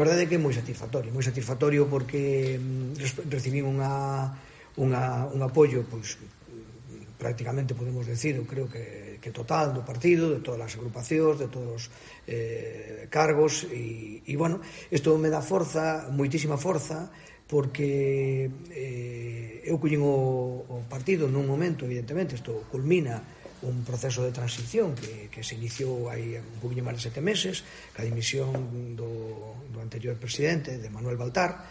A verdade é que é moi satisfactorio porque recibín un apoio, pois, prácticamente podemos decir, eu creo que total do partido, de todas as agrupacións, de todos os cargos, e bueno, isto me dá forza, moitísima forza, porque eu collín o partido nun momento, evidentemente, isto culmina un proceso de transición que se iniciou hai un poquinho máis de 7 meses, ca dimisión do anterior presidente, de Manuel Baltar,